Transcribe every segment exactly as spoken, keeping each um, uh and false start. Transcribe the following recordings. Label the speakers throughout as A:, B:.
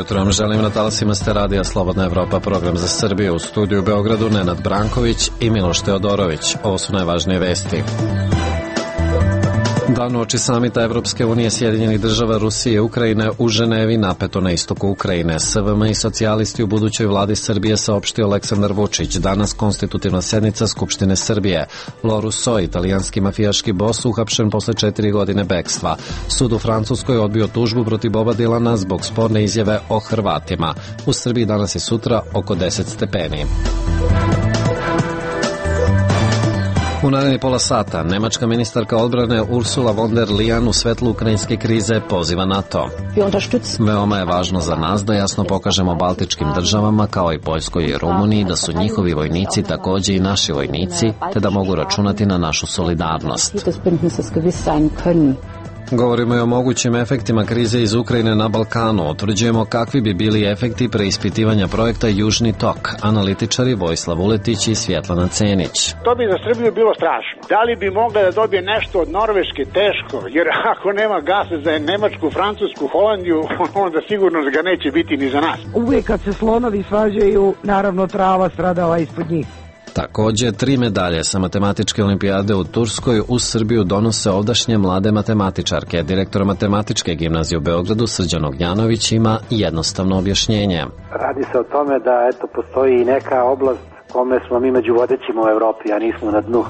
A: jutro vam želim na talasima ste radija Slobodna Evropa, program za Srbiju. U studiju u Beogradu Nenad Branković i Miloš Teodorović. Ovo su najvažnije vesti. Dan uoči samita Evropske unije, Sjedinjenih država, Rusije i Ukrajine u Ženevi, napeto na istoku Ukrajine. S V M i socijalisti u budućoj vladi Srbije, saopštio Aleksandar Vučić. Danas konstitutivna sednica Skupštine Srbije. Loru So, italijanski mafijaški bos, uhapšen posle četiri godine bekstva. Sud u Francuskoj odbio tužbu protiv Boba Dilana zbog sporne izjave o Hrvatima. U Srbiji danas i sutra oko deset stepeni. U naredni pola sata, nemačka ministarka odbrane Ursula von der Leyen u svetlu ukrajinske krize poziva NATO. Veoma je važno za nas da jasno pokažemo baltičkim državama, kao i Poljskoj i Rumuniji, da su njihovi vojnici takođe i naši vojnici, te da mogu računati na našu solidarnost. Govorimo i o mogućim efektima krize iz Ukrajine na Balkanu. Utvrđujemo kakvi bi bili efekti preispitivanja projekta Južni tok. Analitičari Vojislav Uletić i Svjetlana Cenić.
B: To bi za Srbiju bilo strašno. Da li bi mogla da dobije nešto od Norveške? Teško, jer ako nema gasa za Nemačku, Francusku, Holandiju, onda sigurno ga neće biti ni za nas.
C: Uvijek kad se slonovi svađaju, naravno trava stradala ispod njih.
A: Takođe, tri medalje sa matematičke olimpijade u Turskoj u Srbiju donose ovdašnje mlade matematičarke. Direktor matematičke gimnazije u Beogradu Srđan Ognjanović ima jednostavno objašnjenje.
D: Radi se o tome da eto postoji i neka oblast kome smo mi među vodećima u Evropi, a nismo na dnu.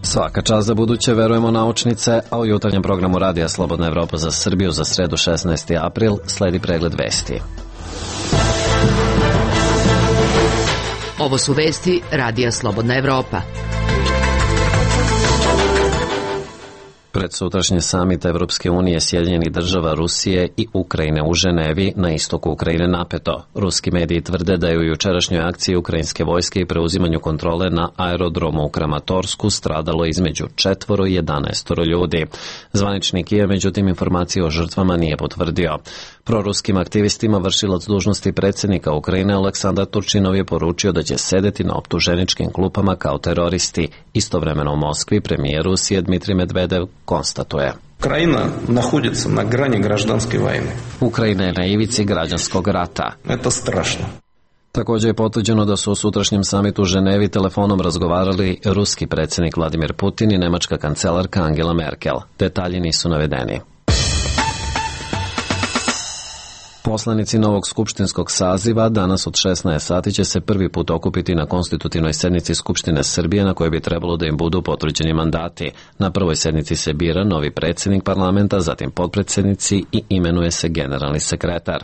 A: Svaka čast za buduće, verujemo naučnice, a u jutarnjem programu Radija Slobodna Evropa za Srbiju za sredu šesnaesti april sledi pregled vesti.
E: Ovo su vesti Radija Slobodna Evropa.
A: Pred sutrašnji samit Evropske unije, Sjedinjenih država, Rusije i Ukrajine u Ženevi, na istoku Ukrajine napeto. Ruski mediji tvrde da je u jučerašnjoj akciji ukrajinske vojske i preuzimanju kontrole na aerodromu u Kramatorsku stradalo između četvoro i jedanaestoro ljudi. Zvanični Kijev, međutim, informacije o žrtvama nije potvrdio. Proruskim aktivistima vršilac dužnosti predsjednika Ukrajine Aleksandar Turčinov je poručio da će sedeti na optuženičkim klupama kao teroristi. Istovremeno u Moskvi premijer Rusije Dmitrij Medvedev konstatuje:
F: Ukrajina naходится na grani građanske vojne.
A: Ukrajina je na ivici građanskog rata.
F: To strašno.
A: Također je potvrđeno da su u sutrašnjem samitu u Ženevi telefonom razgovarali ruski predsjednik Vladimir Putin i nemačka kancelarka Angela Merkel. Detalji nisu navedeni. Poslanici novog skupštinskog saziva danas od šesnaest sati će se prvi put okupiti na konstitutivnoj sednici Skupštine Srbije, na kojoj bi trebalo da im budu potvrđeni mandati. Na prvoj sednici se bira novi predsjednik parlamenta, zatim potpredsjednici i imenuje se generalni sekretar.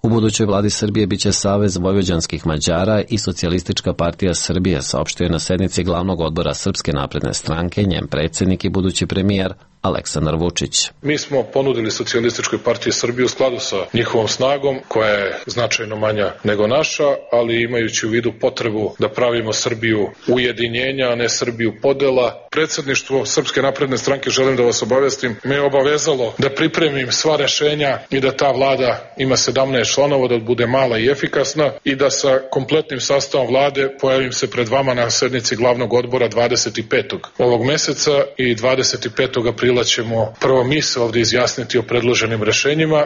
A: U budućoj vladi Srbije biće Savez vojvođanskih Mađara i Socijalistička partija Srbije, saopštio je na sednici glavnog odbora Srpske napredne stranke njen predsjednik i budući premijer Aleksandar Vučić.
G: Mi smo ponudili Socijalističkoj partiji Srbije u skladu sa njihovom snagom, koja je značajno manja nego naša, ali imajući u vidu potrebu da pravimo Srbiju ujedinjenja, a ne Srbiju podela. Predsjedništvo Srpske napredne stranke, želim da vas obavestim, me je obavezalo da pripremim sva rešenja i da ta vlada ima sedamnaest članova, da bude mala i efikasna i da sa kompletnim sastavom vlade pojavim se pred vama na sednici glavnog odbora dvadeset petog ovog meseca i dvadeset petog aprila ćemo prvo mi se ovdje izjasniti o predloženim rešenjima.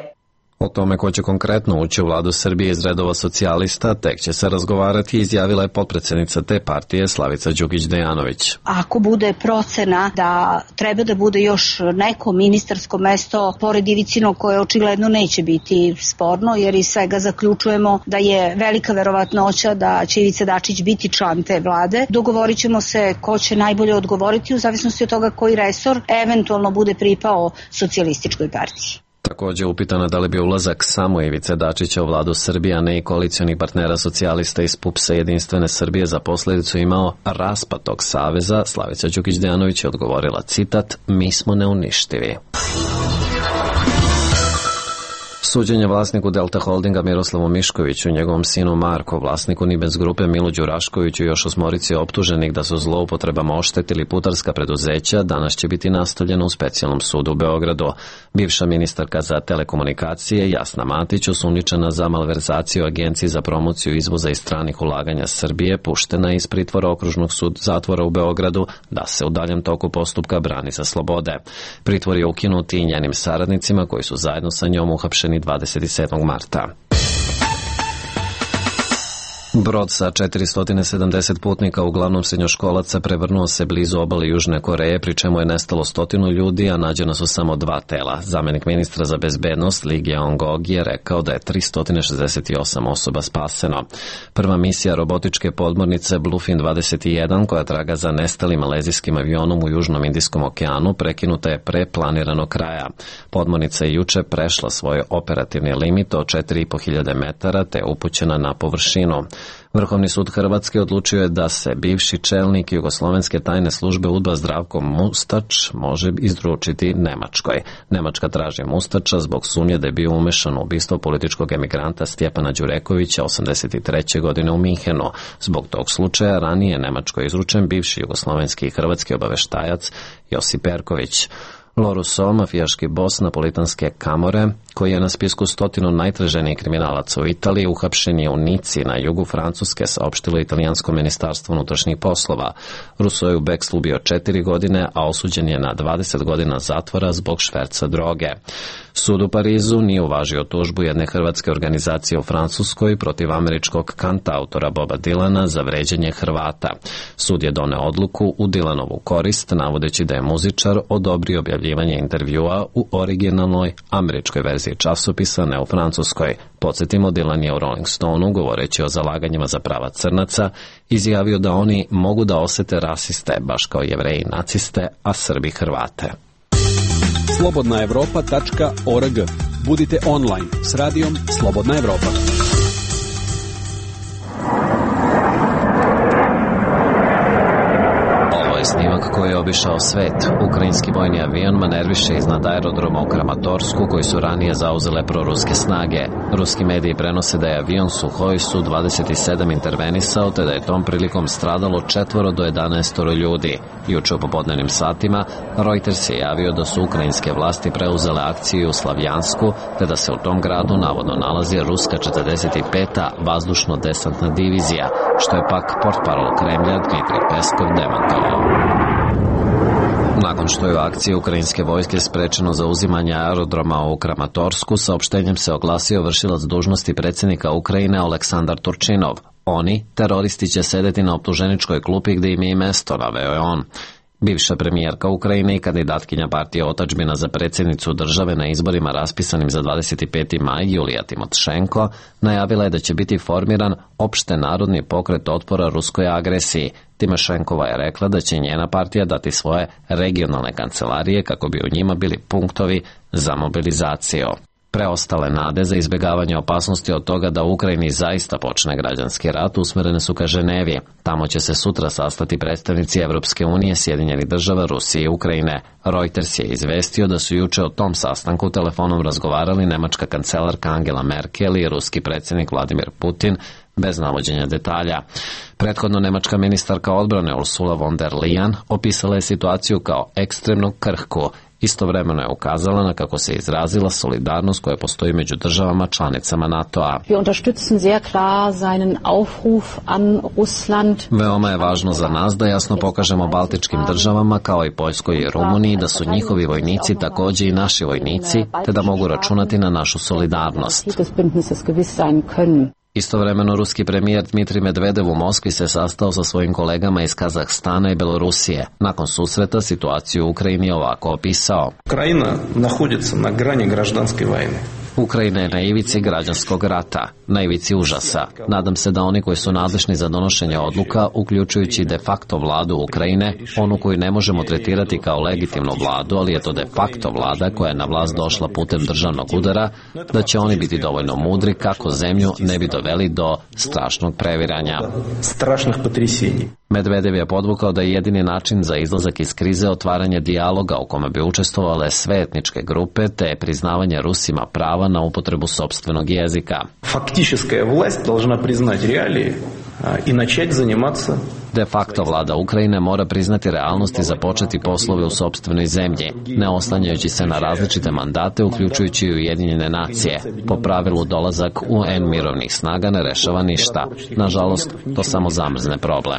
A: O tome ko će konkretno ući u vladu Srbije iz redova socijalista tek će se razgovarati, izjavila je potpredsjednica te partije Slavica Đukić-Dejanović.
H: Ako bude procena da treba da bude još neko ministarsko mesto pored Ivicinog, koje očigledno neće biti sporno, jer iz svega zaključujemo da je velika verovatnoća da će Ivica Dačić biti član te vlade, dogovorit ćemo se ko će najbolje odgovoriti u zavisnosti od toga koji resor eventualno bude pripao socijalističkoj partiji.
A: Također upitana da li bi ulazak samo Ivice Dačića u vladu Srbije, a ne i koalicionih partnera socijalista iz P U P S-a Jedinstvene Srbije za posljedicu imao raspad tog saveza, Slavica Đukić-Dejanović je odgovorila, citat, mi smo neuništivi. Suđenje vlasniku Delta Holdinga Miroslavu Miškoviću, njegovom sinu Marko, vlasniku Nibens grupe Milu Đuraškoviću i još osmorici optuženih da su zloupotrebama oštetili putarska preduzeća, danas će biti nastavljeno u specijalnom sudu u Beogradu. Bivša ministarka za telekomunikacije Jasna Matić, osumnjičena za malverzaciju Agenciji za promociju izvoza i stranih ulaganja Srbije, puštena iz pritvora okružnog sud zatvora u Beogradu da se u daljem toku postupka brani sa slobode. Pritvor je ukinut i njenim saradnicima koji su zajedno sa njom uhapšeni dvadeset sedmog marta. Brod sa četiristo sedamdeset putnika, uglavnom srednjoškolaca, prevrnuo se blizu obale Južne Koreje, pri čemu je nestalo stotinu ljudi, a nađena su samo dva tela. Zamenik ministra za bezbednost Lee Gyeong-gok je rekao da je tristo šezdeset osam osoba spaseno. Prva misija robotičke podmornice Bluefin dvadeset jedan, koja traga za nestalim malezijskim avionom u Južnom Indijskom okeanu, prekinuta je pre planiranog kraja. Podmornica je juče prešla svoj operativni limit od četiri i po hiljade metara te je upućena na površinu. Vrhovni sud Hrvatske odlučio je da se bivši čelnik jugoslovenske tajne službe UDBA Zdravko Mustač može izručiti Nemačkoj. Nemačka traži Mustača zbog sumnje da je bio umešan u ubistvo političkog emigranta Stjepana Đurekovića osamdeset treće godine u Minhenu. Zbog tog slučaja ranije Nemačkoj izručen bivši jugoslovenski i hrvatski obaveštajac Josip Perković. Loruso, mafijaški bos napolitanske Kamore, koji je na spisku stotinu najtraženijih kriminalaca u Italiji, uhapšen je u Nici na jugu Francuske, saopštilo italijansko ministarstvo unutrašnjih poslova. Russo je u bekstvu bio četiri godine, a osuđen je na dvadeset godina zatvora zbog šverca droge. Sud u Parizu nije uvažio tužbu jedne hrvatske organizacije u Francuskoj protiv američkog kantautora Boba Dylana za vređanje Hrvata. Sud je doneo odluku u Dylanovu korist, navodeći da je muzičar odobrio objavljivanje intervjua u originalnoj američkoj verziji časopisa, ne u francuskoj. Podsjetimo, Dylan je u Rolling Stoneu, govoreći o zalaganjima za prava crnaca, izjavio da oni mogu da osete rasiste, baš kao Jevreji i naciste, a Srbi Hrvate.
I: slobodna evropa tačka org. Budite online s radijom Slobodna Evropa.
A: Snimak koji je obišao svet. Ukrajinski vojni avion manerviše iznad aerodroma u Kramatorsku, koji su ranije zauzele proruske snage. Ruski mediji prenose da je avion Suhoj Su dvadeset sedam intervenisao, te da je tom prilikom stradalo četvoro do jedanaestoro ljudi. Juče u popodnevnim satima Reuters je javio da su ukrajinske vlasti preuzele akciju u Slavjansku, te da se u tom gradu navodno nalazi ruska četrdeset peta vazdušno-desantna divizija, što je pak portparol Kremlja Dmitrij Peskov demantovao. Nakon što je u akciji ukrajinske vojske sprečeno zauzimanje aerodroma u Kramatorsku, saopštenjem se oglasio vršilac dužnosti predsjednika Ukrajine Aleksandar Turčinov. Oni, teroristi, će sedeti na optuženičkoj klupi gdje im je mesto, naveo je on. Bivša premijerka Ukrajine i kandidatkinja partije Otadžbina za predsjednicu države na izborima raspisanim za dvadeset peti maj Julija Timošenko najavila je da će biti formiran opšte narodni pokret otpora ruskoj agresiji. Timošenkova je rekla da će njena partija dati svoje regionalne kancelarije kako bi u njima bili punktovi za mobilizaciju. Preostale nade za izbjegavanje opasnosti od toga da u Ukrajini zaista počne građanski rat usmerene su ka Ženevi. Tamo će se sutra sastati predstavnici Evropske unije, Sjedinjenih država, Rusije i Ukrajine. Reuters je izvestio da su juče o tom sastanku telefonom razgovarali nemačka kancelarka Angela Merkel i ruski predsjednik Vladimir Putin, bez navođenja detalja. Prethodno nemačka ministarka odbrane Ursula von der Leyen opisala je situaciju kao ekstremno krhku. Istovremeno je ukazala na, kako se izrazila, solidarnost koja postoji među državama članicama NATO-a. Veoma je važno za nas da jasno pokažemo baltičkim državama, kao i Poljskoj i Rumuniji, da su njihovi vojnici također i naši vojnici, te da mogu računati na našu solidarnost. Istovremeno, ruski premijer Dmitrij Medvedev u Moskvi se sastao sa svojim kolegama iz Kazahstana i Belorusije. Nakon susreta situaciju u Ukrajini je ovako opisao.
F: Ukrajina naходится na grani građanske vojne.
A: Ukrajina je na ivici građanskog rata, na ivici užasa. Nadam se da oni koji su nadležni za donošenje odluka, uključujući de facto vladu Ukrajine, onu koju ne možemo tretirati kao legitimnu vladu, ali je to de facto vlada koja je na vlast došla putem državnog udara, da će oni biti dovoljno mudri kako zemlju ne bi doveli do strašnog previranja.
F: Strašnih potresenja.
A: Medvedev je podvukao da je jedini način za izlazak iz krize otvaranje dijaloga u kome bi učestvovale sve etničke grupe, te priznavanje Rusima prava na upotrebu sopstvenog jezika.
F: Faktička vlast должна priznati realije i načeti zanimatися
A: De facto vlada Ukrajine mora priznati realnost i započeti poslove u sopstvenoj zemlji, ne oslanjajući se na različite mandate, uključujući i Ujedinjene nacije. Po pravilu dolazak U N mirovnih snaga ne rešava ništa. Nažalost, to samo zamrzne problem.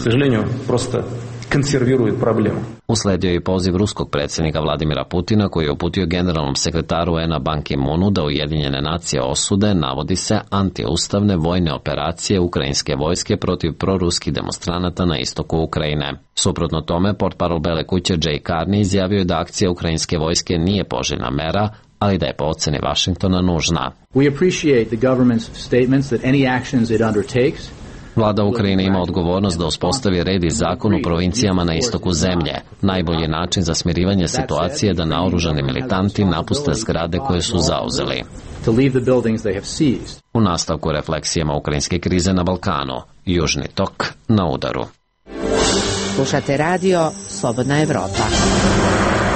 A: Usledio je i poziv ruskog predsjednika Vladimira Putina koji je uputio generalnom sekretaru U N-a Ban Ki-moonu da Ujedinjene nacije osude, navodi se, antiustavne vojne operacije ukrajinske vojske protiv proruskih demonstranata na istoku Ukrajine. Suprotno tome, portparol Bele kuće Jay Carney izjavio je da akcija ukrajinske vojske nije poželjna mera, ali da je po oceni Vašingtona nužna.
J: We appreciate the government's statements that any actions it undertakes
A: Vlada Ukrajine ima odgovornost da uspostavi red i zakon u provincijama na istoku zemlje. Najbolji način za smirivanje situacije je da naoružani militanti napuste zgrade koje su zauzeli. U nastavku refleksijama ukrajinske krize na Balkanu, Južni tok na udaru.
E: Slušate radio Slobodna Evropa.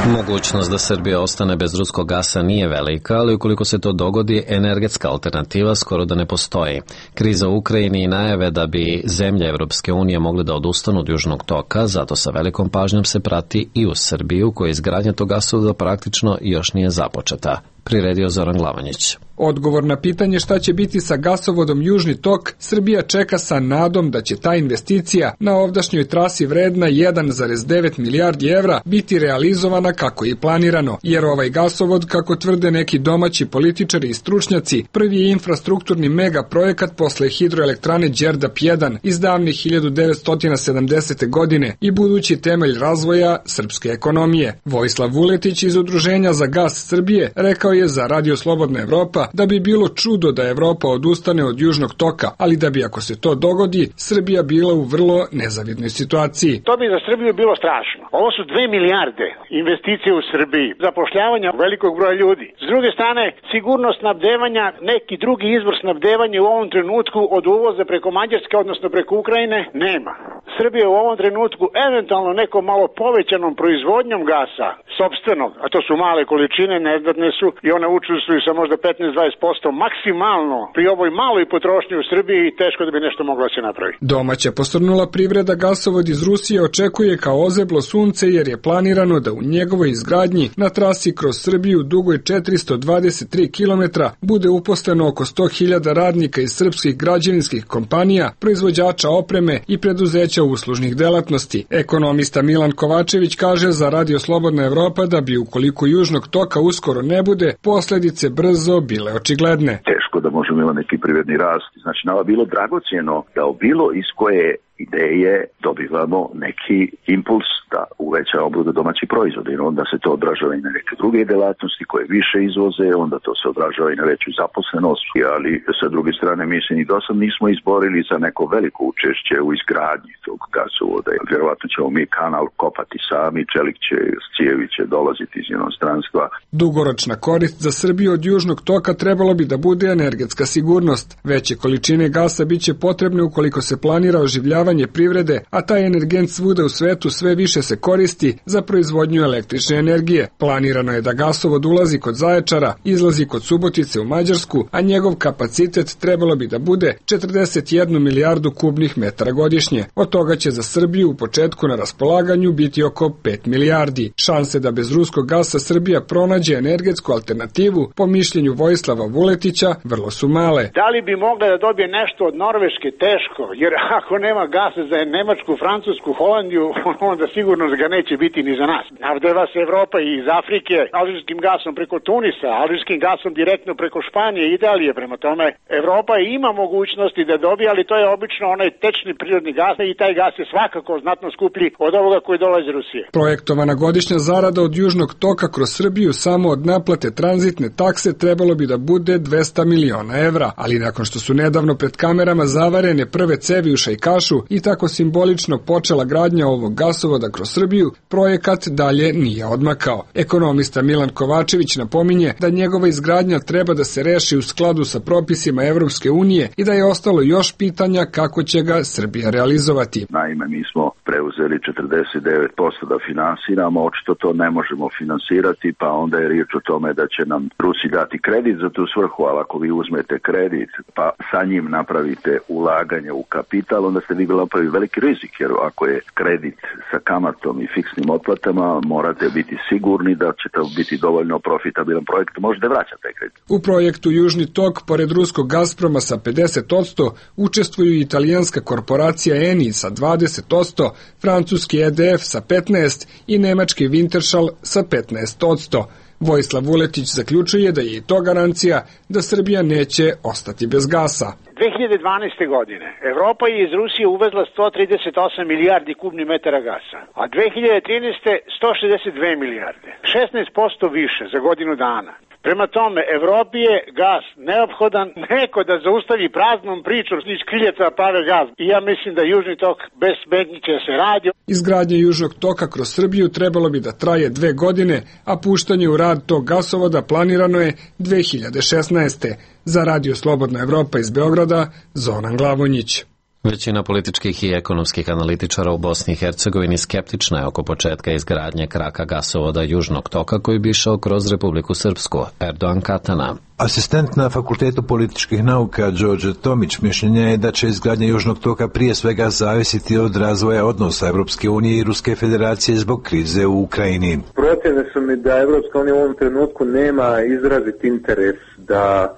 A: Mogućnost da Srbija ostane bez ruskog gasa nije velika, ali ukoliko se to dogodi, energetska alternativa skoro da ne postoji. Kriza u Ukrajini i najave da bi zemlje Evropske unije mogle da odustanu od Južnog toka, zato sa velikom pažnjom se prati i u Srbiju, koja izgradnja tog gasovoda praktično još nije započeta. Priredio Zoran Glavanjić.
K: Odgovor na pitanje šta će biti sa gasovodom Južni tok, Srbija čeka sa nadom da će ta investicija na ovdašnjoj trasi vredna jedan zarez devet milijardi evra biti realizovana kako je planirano, jer ovaj gasovod, kako tvrde neki domaći političari i stručnjaci, prvi je infrastrukturni mega projekat posle hidroelektrane Đerdap jedan iz davne hiljadu devetsto sedamdesete. godine i budući temelj razvoja srpske ekonomije. Vojislav Vuletić iz Udruženja za gas Srbije rekao je za Radio Slobodna Evropa da bi bilo čudo da Evropa odustane od Južnog toka, ali da bi ako se to dogodi, Srbija bila u vrlo nezavidnoj situaciji.
B: To bi za Srbiju bilo strašno. Ovo su dve milijarde investicije u Srbiji, zapošljavanja velikog broja ljudi. S druge strane, sigurnost snabdevanja, neki drugi izvor snabdevanja u ovom trenutku od uvoza preko Mađarske, odnosno preko Ukrajine, nema. Srbija u ovom trenutku eventualno nekom malo povećanom proizvodnjom gasa, sopstvenog, a to su male količine, neznatne su i one učestvuju sa možda petnaest do dvadeset posto maksimalno pri ovoj maloj potrošnji u Srbiji i teško da bi nešto moglo da se napravi.
K: Domaća posrnula privreda gasovod iz Rusije očekuje kao ozeblo sunce jer je planirano da u njegovoj izgradnji na trasi kroz Srbiju dugoj četiristo dvadeset tri kilometra bude uposleno oko sto hiljada radnika iz srpskih građevinskih kompanija, proizvođača opreme i preduzeća uslužnih delatnosti. Ekonomista Milan Kovačević kaže za Radio Slobodna Evropa da bi ukoliko Južnog toka uskoro ne bude, posledice brzo bile očigledne.
L: Teško da možemo imati neki privredni rast. Znači, nama bilo dragocjeno da bilo iz koje ideje dobivamo neki impuls da uvećamo bruto domaći proizvod i onda se to odražava i na neke druge delatnosti koje više izvoze, onda to se odražava i na veću zaposlenost, ali sa druge strane mi se ni dosad nismo izborili za neko veliko učešće u izgradnji tog gasovoda. Vjerovatno ćemo mi kanal kopati sami, čelik će, cijevi će dolaziti iz inostranstva.
K: Dugoročna korist za Srbiju od Južnog toka trebalo bi da bude energetska sigurnost. Veće količine gasa biće potrebne ukoliko se planira oživljavanje privrede, a taj energent svuda u svetu sve više se koristi za proizvodnju električne energije. Planirano je da gasovod ulazi kod Zaječara, izlazi kod Subotice u Mađarsku, a njegov kapacitet trebalo bi da bude četrdeset jednu milijardu kubnih metara godišnje. Od toga će za Srbiju u početku na raspolaganju biti oko pet milijardi. Šanse da bez ruskog gasa Srbija pronađe energetsku alternativu, po mišljenju Vojislava Vuletića, vrlo su male.
B: Da li bi mogla da dobije nešto od Norveške? Teško, jer ako nema gasa za Nemačku, Francusku, Holandiju, onda sigurno ga neće biti ni za nas. Navdeva se Evropa i iz Afrike alžirskim gasom preko Tunisa, alžirskim gasom direktno preko Španije i Italije. Prema tome, Evropa ima mogućnosti da dobije, ali to je obično onaj tečni prirodni gas i taj gas je svakako znatno skuplji od ovoga koji dolazi iz Rusije.
K: Projektovana godišnja zarada od Južnog toka kroz Srbiju samo od naplate tranzitne takse trebalo bi da bude dvesta miliona evra, ali nakon što su nedavno pred kamerama zavarene prve cevi u Šajkašu i tako simbolično počela gradnja ovog gasovoda kroz Srbiju, projekat dalje nije odmakao. Ekonomista Milan Kovačević napominje da njegova izgradnja treba da se reši u skladu sa propisima Evropske unije i da je ostalo još pitanja kako će ga Srbija realizovati.
L: Naime, mi smo preuzeli četrdeset devet posto da finansiramo, očito to ne možemo finansirati, pa onda je riječ o tome da će nam Rusi dati kredit za tu svrhu, ali ako vi uzmete uzmete kredit pa sa njim napravite ulaganje u kapital, onda ste vi napravili veliki rizik, jer ako je kredit sa kamatom i fiksnim otplatama, morate biti sigurni da će to biti dovoljno profitabilan projekt, možete vraćati taj kredit.
K: U projektu Južni tok, pored ruskog Gazproma sa pedeset posto, učestvuju i italijanska korporacija Eni sa dvadeset posto, francuski E D F sa petnaest posto i nemački Wintershall sa petnaest posto. Vojislav Vuletić zaključuje da je i to garancija da Srbija neće ostati bez gasa.
B: dve hiljade dvanaeste. godine Evropa je iz Rusije uvezla sto trideset osam milijardi kubnih metara gasa, a dve hiljade trinaeste. sto šezdeset dve milijarde, šesnaest posto više za godinu dana. Prema tome, Evropi je gas neophodan, neko da zaustavi praznom pričom iz kriljeca prave gas. I ja mislim da Južni tok bez smetnji će se radi.
K: Izgradnja Južnog toka kroz Srbiju trebalo bi da traje dve godine, a puštanje u rad tog gasovoda planirano je dve hiljade šesnaeste. Za Radio Slobodna Evropa iz Beograda, Zoran Glavonjić.
A: Većina političkih i ekonomskih analitičara u Bosni i Hercegovini skeptična je oko početka izgradnje kraka gasovoda Južnog toka koji bi išao kroz Republiku Srpsku. Erdogan Katana.
M: Asistent na Fakultetu političkih nauka Đorđe Tomić mišljenja je da će izgradnja Južnog toka prije svega zavisiti od razvoja odnosa Evropske unije i Ruske federacije zbog krize u Ukrajini.
N: Procjene su mi da Evropska unija u ovom trenutku nema izrazit interes da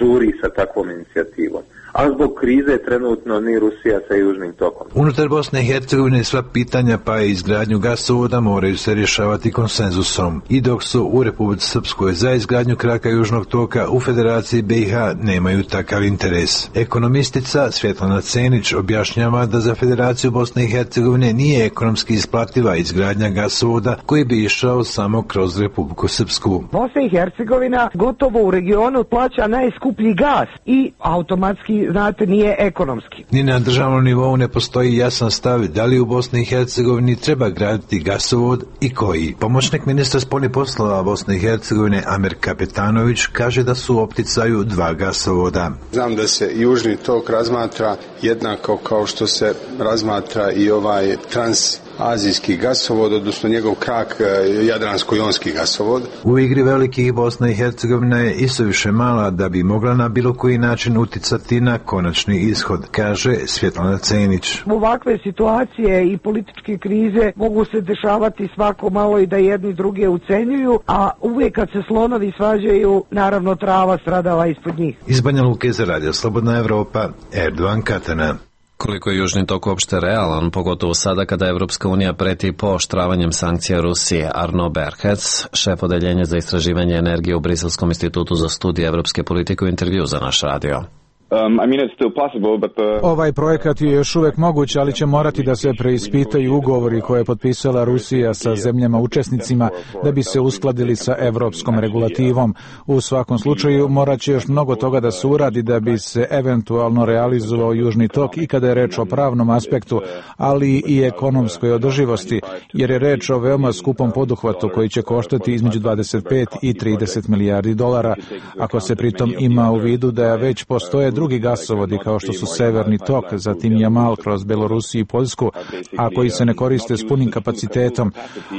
N: žuri sa takvom inicijativom. A zbog krize trenutno ni Rusija sa Južnim tokom.
M: Unutar Bosne i Hercegovine sva pitanja pa i izgradnju gasovoda moraju se rješavati konsenzusom. I dok su u Republici Srpskoj za izgradnju kraka Južnog toka, u Federaciji B i H nemaju takav interes. Ekonomistica Svjetlana Cenić objašnjava da za Federaciju Bosne i Hercegovine nije ekonomski isplativa izgradnja gasovoda koji bi išao samo kroz Republiku Srpsku.
C: Bosna i Hercegovina gotovo u regionu plaća najskuplji gas i automatski, znate, nije ekonomski.
M: Ni na državnom nivou ne postoji jasan stav da li u Bosni i Hercegovini treba graditi gasovod i koji. Pomoćnik ministra spoljnih poslova Bosne i Hercegovine Amer Kapetanović kaže da su u opticaju dva gasovoda.
O: Znam da se Južni tok razmatra jednako kao što se razmatra i ovaj transazijski gasovod, odnosno njegov krak Jadransko-jonski gasovod.
M: U igri velikih Bosna i Hercegovina je isuviše mala da bi mogla na bilo koji način uticati na konačni ishod, kaže Svjetlana Cenić.
C: Ovakve situacije i političke krize mogu se dešavati svako malo i da jedni druge ucenjuju, a uvijek kad se slonovi svađaju, naravno trava stradava ispod njih.
M: Iz Banja Luke za Radio Slobodna Evropa, Erdogan Katana.
A: Koliko je Južni tok uopšte realan, pogotovo sada kada Evropska unija preti pooštravanjem sankcija Rusije, Arno Berhec, šef odeljenja za istraživanje energije u Briselskom institutu za studije evropske politike, u intervju za naš radio.
P: Um, I mean, it's still possible, but the...
Q: Ovaj projekat je još uvek moguć, ali će morati da se preispitaju ugovori koje je potpisala Rusija sa zemljama učesnicima da bi se uskladili sa evropskom regulativom. U svakom slučaju morat će još mnogo toga da se uradi da bi se eventualno realizovao Južni tok i kada je reč o pravnom aspektu, ali i ekonomskoj održivosti, jer je reč o veoma skupom poduhvatu koji će koštati između dvadeset pet i trideset milijardi dolara, ako se pritom ima u vidu da već postoje drugi gasovodi kao što su Severni tok, zatim Jamal kroz Belorusiju i Poljsku, a koji se ne koriste s punim kapacitetom.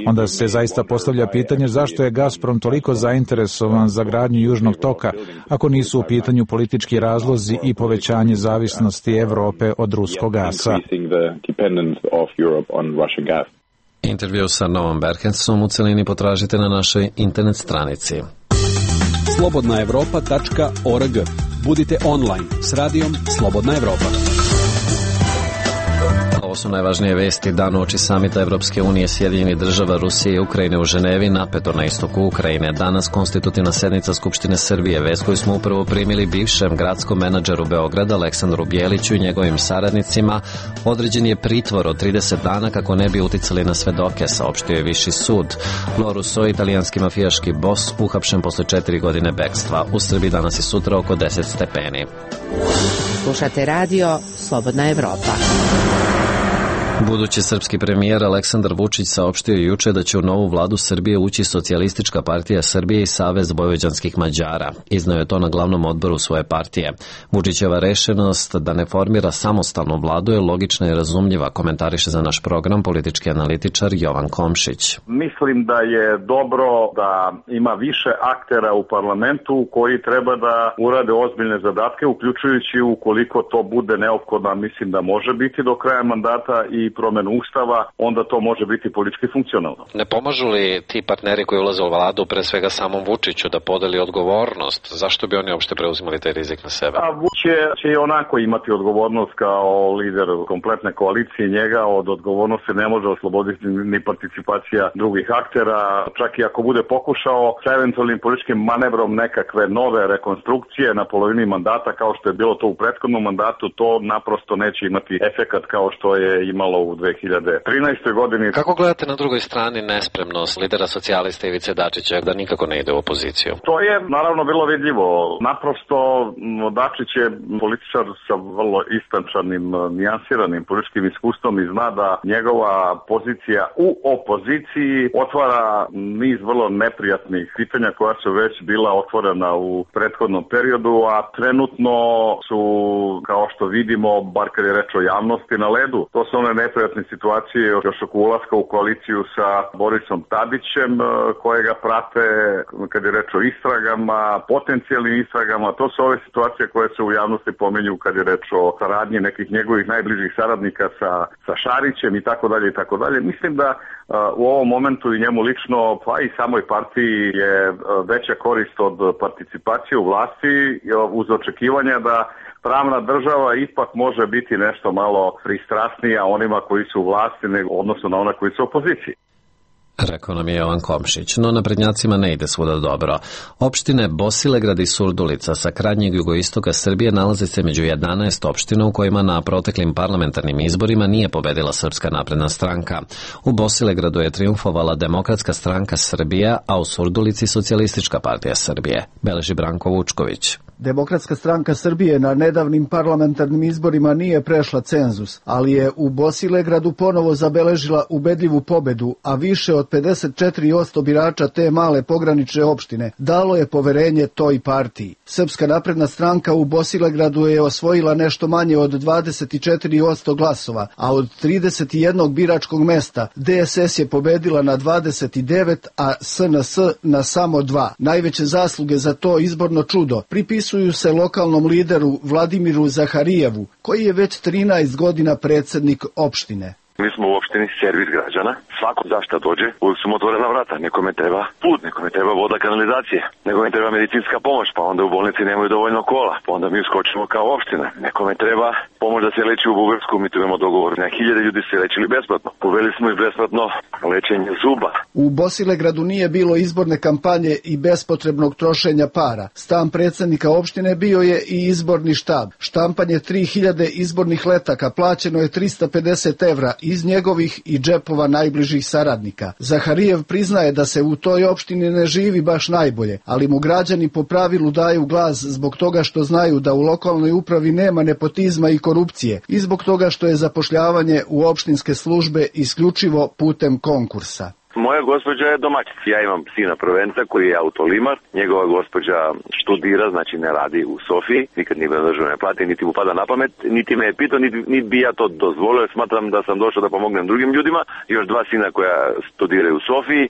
Q: Onda se zaista postavlja pitanje zašto je Gazprom toliko zainteresovan za gradnju Južnog toka, ako nisu u pitanju politički razlozi i povećanje zavisnosti Evrope od ruskog gasa.
A: Intervju sa Novom Berhensom u celini potražite na našoj internet stranici.
I: slobodna evropa tačka org. Budite online s radijom Slobodna Evropa.
A: Ovo su najvažnije vesti dan uoči samita Evropske unije, Sjedinjenih država, Rusije i Ukrajine u Ženevi, napeto na istoku Ukrajine. Danas konstitutivna sednica Skupštine Srbije, vest koju smo upravo primili bivšem gradskom menadžeru Beograda Aleksandru Bjeliću i njegovim saradnicima. Određen je pritvor od trideset dana kako ne bi uticali na svedoke, saopštio je Viši sud. Loruso, italijanski mafijaški bos, uhapšen posle četiri godine bekstva. U Srbiji danas i sutra oko deset stepeni.
E: Slušate radio Slobodna Evropa.
A: Budući srpski premijer Aleksandar Vučić saopštio juče da će u novu vladu Srbije ući Socijalistička partija Srbije i Savez vojvođanskih Mađara. Izneo je to na glavnom odboru svoje partije. Vučićeva rešenost da ne formira samostalnu vladu je logična i razumljiva, komentariše za naš program politički analitičar Jovan Komšić.
R: Mislim da je dobro da ima više aktera u parlamentu koji treba da urade ozbiljne zadatke, uključujući ukoliko to bude neophodno, mislim da može biti do kraja mandata i promenu ustava, onda to može biti politički funkcionalno.
A: Ne pomažu li ti partneri koji ulaze u vladu, pre svega samom Vučiću, da podeli odgovornost? Zašto bi oni uopšte preuzimali taj rizik na sebe?
R: A Vučić će i onako imati odgovornost kao lider kompletne koalicije. Njega od odgovornosti ne može osloboditi ni participacija drugih aktera. Čak i ako bude pokušao sa eventualnim političkim manevrom nekakve nove rekonstrukcije na polovini mandata, kao što je bilo to u prethodnom mandatu, to naprosto neće imati efekat kao što je imalo u dve hiljade trinaestoj. godini.
A: Kako gledate na drugoj strani nespremnost lidera socijalista Ivice Dačića da nikako ne ide u opoziciju?
R: To je naravno bilo vidljivo. Naprosto Dačić je političar sa vrlo istančanim, nijansiranim političkim iskustvom i zna da njegova pozicija u opoziciji otvara niz vrlo neprijatnih pitanja koja su već bila otvorena u prethodnom periodu, a trenutno su, kao što vidimo, bar kad je reč o javnosti, na ledu. To su one neprijatne situacije još oko ulaska u koaliciju sa Borisom Tadićem, koje ga prate kad je reč o istragama, potencijalnim istragama. To su ove situacije koje se u javnosti pominju kad je reč o saradnji nekih njegovih najbližih saradnika sa, sa Šarićem i tako dalje i tako dalje. Mislim da u ovom momentu i njemu lično, pa i samoj partiji je veća korist od participacije u vlasti uz očekivanja da pravna država ipak može biti nešto malo pristrasnija onima koji su u vlasti, odnosno na ona koji su u opoziciji.
A: Rekao nam je Jovan Komšić, no naprednjacima ne ide svuda dobro. Opštine Bosilegrad i Surdulica sa krajnjeg jugoistoka Srbije nalaze se među jedanaest opština u kojima na proteklim parlamentarnim izborima nije pobedila Srpska napredna stranka. U Bosilegradu je triumfovala Demokratska stranka Srbije, a u Surdulici Socijalistička partija Srbije. Beleži Branko Vučković.
S: Demokratska stranka Srbije na nedavnim parlamentarnim izborima nije prešla cenzus, ali je u Bosilegradu ponovo zabeležila ubedljivu pobedu, a više od pedeset četiri posto birača te male pogranične opštine dalo je poverenje toj partiji. Srpska napredna stranka u Bosilegradu je osvojila nešto manje od dvadeset četiri posto glasova, a od trideset jednog biračkog mesta D S S je pobedila na dvadeset devet, a S N S na samo dva. Najveće zasluge za to izborno čudo pripisuju se lokalnom lideru Vladimiru Zaharijevu, koji je već trinaest godina predsednik opštine.
T: Mi smo u opštini servis građana. Svako zašta dođe, uvijek su mu otvorena vrata. Nekome treba put, nekome treba voda, kanalizacije, nekome treba medicinska pomoć, pa onda u bolnici nemaju dovoljno kola, pa onda mi uskočimo kao opština. Nekome treba pomoć da se leči u Bugarsku, mi tu imamo dogovor. Na hiljade ljudi se lečili besplatno. Uveli smo i besplatno lečenje zuba.
S: U Bosilegradu nije bilo izborne kampanje i bespotrebnog trošenja para. Stan predsednika opštine bio je i izborni štab. Štampanje tri hiljade izbornih letaka plaćeno je trista pedeset evra iz njegovih i džepova najbližih saradnika. Zaharijev priznaje da se u toj opštini ne živi baš najbolje, ali mu građani po pravilu daju glas zbog toga što znaju da u lokalnoj upravi nema nepotizma i korupcije i zbog toga što je zapošljavanje u opštinske službe isključivo putem konkursa.
T: Moja gospođa je domaćica. Ja imam sina prvenca koji je autolimar. Njegova gospođa študira, znači ne radi u Sofiji. Nikad nije bilo državne plate, niti mu pada na pamet, niti me je pitao, niti, niti bi ja to dozvolio. Smatram da sam došao da pomognem drugim ljudima. Još dva sina koja studiraju u Sofiji.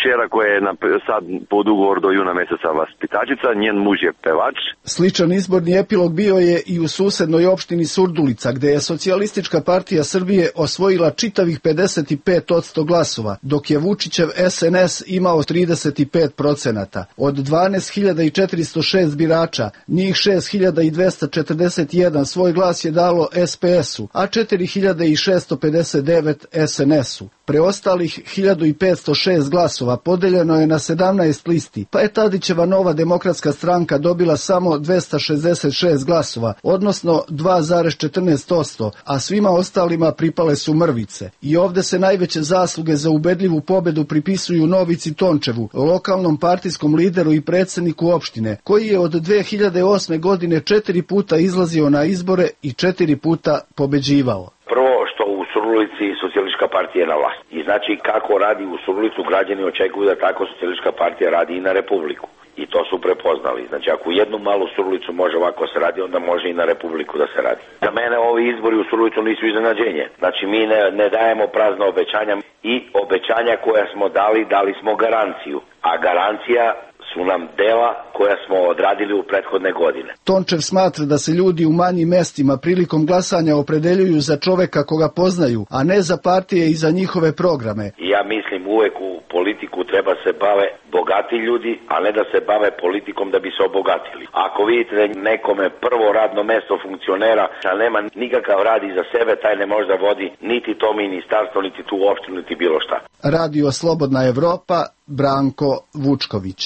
T: Čera koja je na, sad pod ugovor do juna meseca vaspitačica, njen muž je pevač.
S: Sličan izborni epilog bio je i u susednoj opštini Surdulica, gde je Socijalistička partija Srbije osvojila čitavih pedeset pet posto glasova, dok je Vučićev S N S imao trideset pet procenata. Od dvanaest hiljada četiristo šest birača, njih šest hiljada dvesta četrdeset jedan svoj glas je dalo S P S-u, a četiri hiljade šesto pedeset devet S N S-u. Preostalih hiljadu petsto šest glasova podeljeno je na sedamnaest listi, pa je Tadićeva Nova demokratska stranka dobila samo dvesta šezdeset šest glasova, odnosno dva zarez četrnaest posto, a svima ostalima pripale su mrvice. I ovde se najveće zasluge za ubedljivu pobedu pripisuju Novici Tončevu, lokalnom partijskom lideru i predsedniku opštine, koji je od dve hiljade osme godine četiri puta izlazio na izbore i četiri puta pobeđivao.
T: Prvo što u
U: Surdulici socijalistička partija je na vlasti. I znači kako radi u Surdulicu, građani očekuju da tako socijalistička partija radi i na Republiku. I to su prepoznali. Znači ako u jednu malu Surdulicu može ovako se radi, onda može i na Republiku da se radi. Za mene ovi izbori u Surdulicu nisu iznenađenje. Znači mi ne, ne dajemo prazna obećanja i obećanja koja smo dali, dali smo garanciju. A garancija su nam dela koja smo odradili u prethodne godine.
S: Tončev smatra da se ljudi u manjim mestima prilikom glasanja opredeljuju za čoveka koga poznaju, a ne za partije i za njihove programe.
U: Ja mislim uvek u politiku treba se bave bogati ljudi, a ne da se bave politikom da bi se obogatili. Ako vidite da nekome prvo radno mesto funkcionera, a nema nikakav rad iza sebe, taj ne može da vodi niti to ministarstvo, niti tu opštinu, niti bilo šta.
S: Radio Slobodna Evropa, Branko Vučković.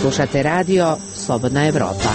E: Slušate radio Slobodna Evropa.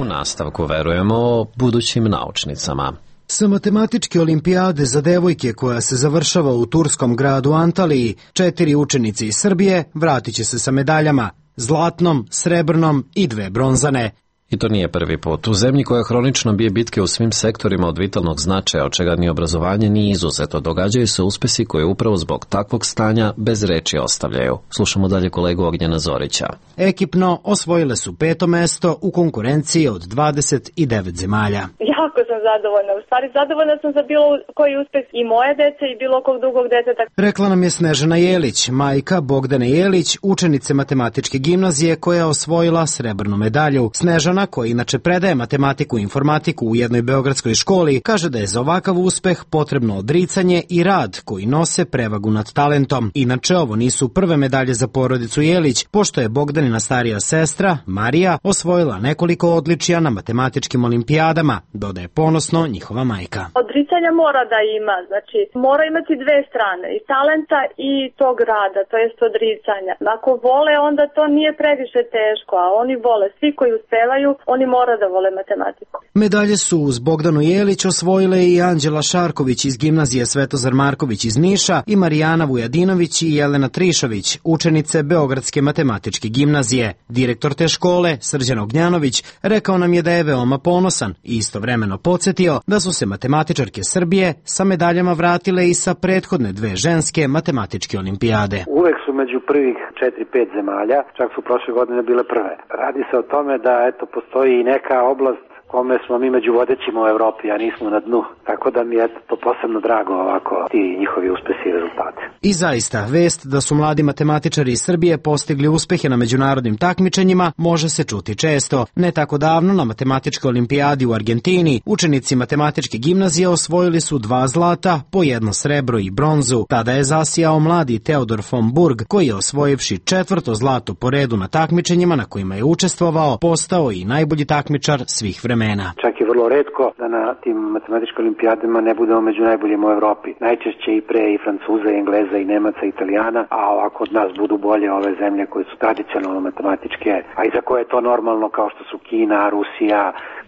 A: U nastavku verujemo budućim naučnicama.
V: Sa matematičke olimpijade za devojke koja se završava u turskom gradu Antaliji, četiri učenice iz Srbije vratit će se sa medaljama, zlatnom, srebrnom i dve bronzane.
A: I to nije prvi put. U zemlji koja hronično bije bitke u svim sektorima od vitalnog značaja, od čega ni obrazovanje nije izuzeto, događaju se uspesi koje upravo zbog takvog stanja bez reči ostavljaju. Slušamo dalje kolegu Ognjena Zorića.
V: Ekipno osvojile su peto mesto u konkurenciji od dvadeset devet zemalja.
W: Jako sam zadovoljna. U stvari zadovoljna sam za bilo koji uspeh i moje dece i bilo kog drugog deteta.
V: Rekla nam je Snežana Jelić, majka Bogdane Jelić, učenice matematičke gimnazije koja je osvojila srebrnu medalju. Snežana, koja inače predaje matematiku i informatiku u jednoj beogradskoj školi, kaže da je za ovakav uspeh potrebno odricanje i rad koji nose prevagu nad talentom. Inače, ovo nisu prve medalje za porodicu Jelić, pošto je Bogdanina starija sestra, Marija, osvojila nekoliko odličija na matematičkim olimpijadama, dodaje ponosno njihova majka.
W: Odricanja mora da ima, znači mora imati dve strane, i talenta i tog rada, to jest odricanja. Ako vole, onda to nije previše teško, a oni vole, svi koji uspevaju, oni mora da vole matematiku.
V: Medalje su uz Bogdanu Jelić osvojile i Anđela Šarković iz gimnazije Svetozar Marković iz Niša i Marijana Vujadinović i Jelena Trišović, učenice Beogradske matematičke gimnazije. Direktor te škole, Srđan Ognjanović, rekao nam je da je veoma ponosan i istovremeno podsjetio da su se matematičarke Srbije sa medaljama vratile i sa prethodne dve ženske matematičke olimpijade.
D: Uvek su među prvih četiri pet zemalja, čak su prošle godine bile prve. Radi se o tome da eto postoji i neka oblast kome smo mi među vodećima u Evropi, a nismo na dnu. Tako da mi je to posebno drago ovako, ti njihovi uspesi i rezultate.
V: I zaista, vest da su mladi matematičari iz Srbije postigli uspehe na međunarodnim takmičenjima može se čuti često. Ne tako davno na matematičkoj olimpijadi u Argentini učenici matematičke gimnazije osvojili su dva zlata, po jedno srebro i bronzu. Tada je zasijao mladi Teodor von Burg, koji je osvojivši četvrto zlato po redu na takmičenjima na kojima je učestvovao, postao i najbolji takmičar svih vremena.
D: Čak je vrlo retko da na tim matematičkim olimpijadama ne budemo među najboljima u Evropi. Najčešće i pre i Francuza, i Engleza, i Nemaca, i Italijana, a ovako od nas budu bolje ove zemlje koje su tradicionalno matematičke, a i za koje je to normalno, kao što su Kina, Rusija,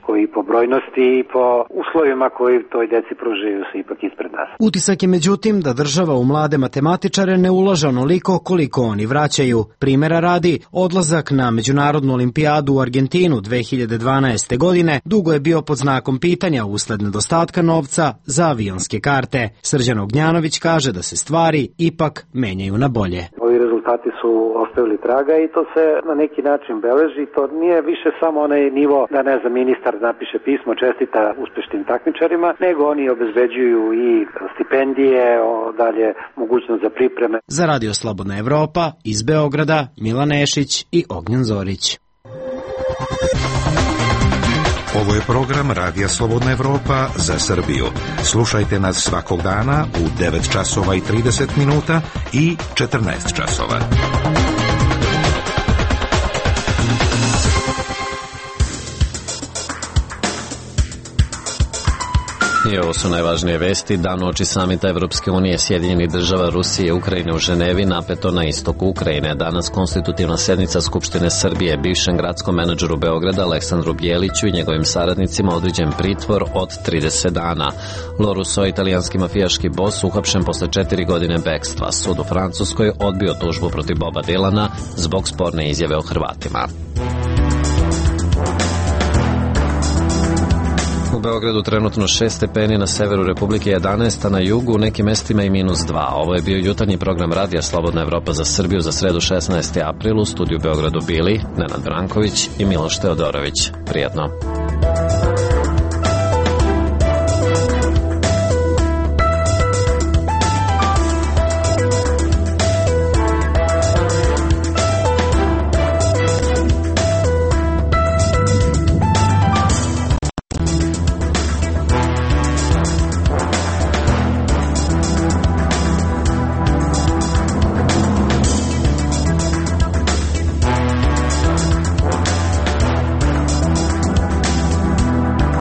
D: koji po brojnosti i po uslovima koji toj deci pružaju se ipak ispred nas.
V: Utisak je međutim da država u mlade matematičare ne ulaže onoliko koliko oni vraćaju. Primera radi, odlazak na međunarodnu olimpijadu u Argentinu dve hiljade dvanaeste. godine dugo je bio pod znakom pitanja usled nedostatka novca za avionske karte. Srđan Ognjanović kaže da se stvari ipak menjaju na bolje.
D: Ovi rezultati su ostavili traga i to se na neki način beleži. To nije više samo onaj nivo da ne znam ministar napiše pismo čestita uspešnim takmičarima, nego oni obezbeđuju i stipendije, o, dalje mogućnost za pripreme.
V: Za Radio Slobodna Evropa iz Beograda Milan Nešić i Ognjen Zorić.
X: Ovo je program Radija Slobodna Evropa za Srbiju. Slušajte nas svakog dana u devet časova i trideset minuta i četrnaest časova.
A: I ovo su najvažnije vesti. Dan uoči samita Evropske unije, Sjedinjenih država, Rusije i Ukrajine u Ženevi, napeto na istoku Ukrajine. Danas konstitutivna sednica Skupštine Srbije. Bivšem gradskom menadžeru Beograda Aleksandru Bjeliću i njegovim saradnicima određen pritvor od trideset dana. Loruso, italijanski mafijaški bos, uhapšen posle četiri godine bekstva. Sud u Francuskoj odbio tužbu protiv Boba Dilana zbog sporne izjave o Hrvatima. U Beogradu trenutno šest stepeni, na severu Republike jedanaest, a na jugu u nekim mestima i minus dva. Ovo je bio jutarnji program Radija Slobodna Evropa za Srbiju za sredu šesnaestog aprila. U studiju Beogradu bili Nenad Branković i Miloš Teodorović. Prijatno.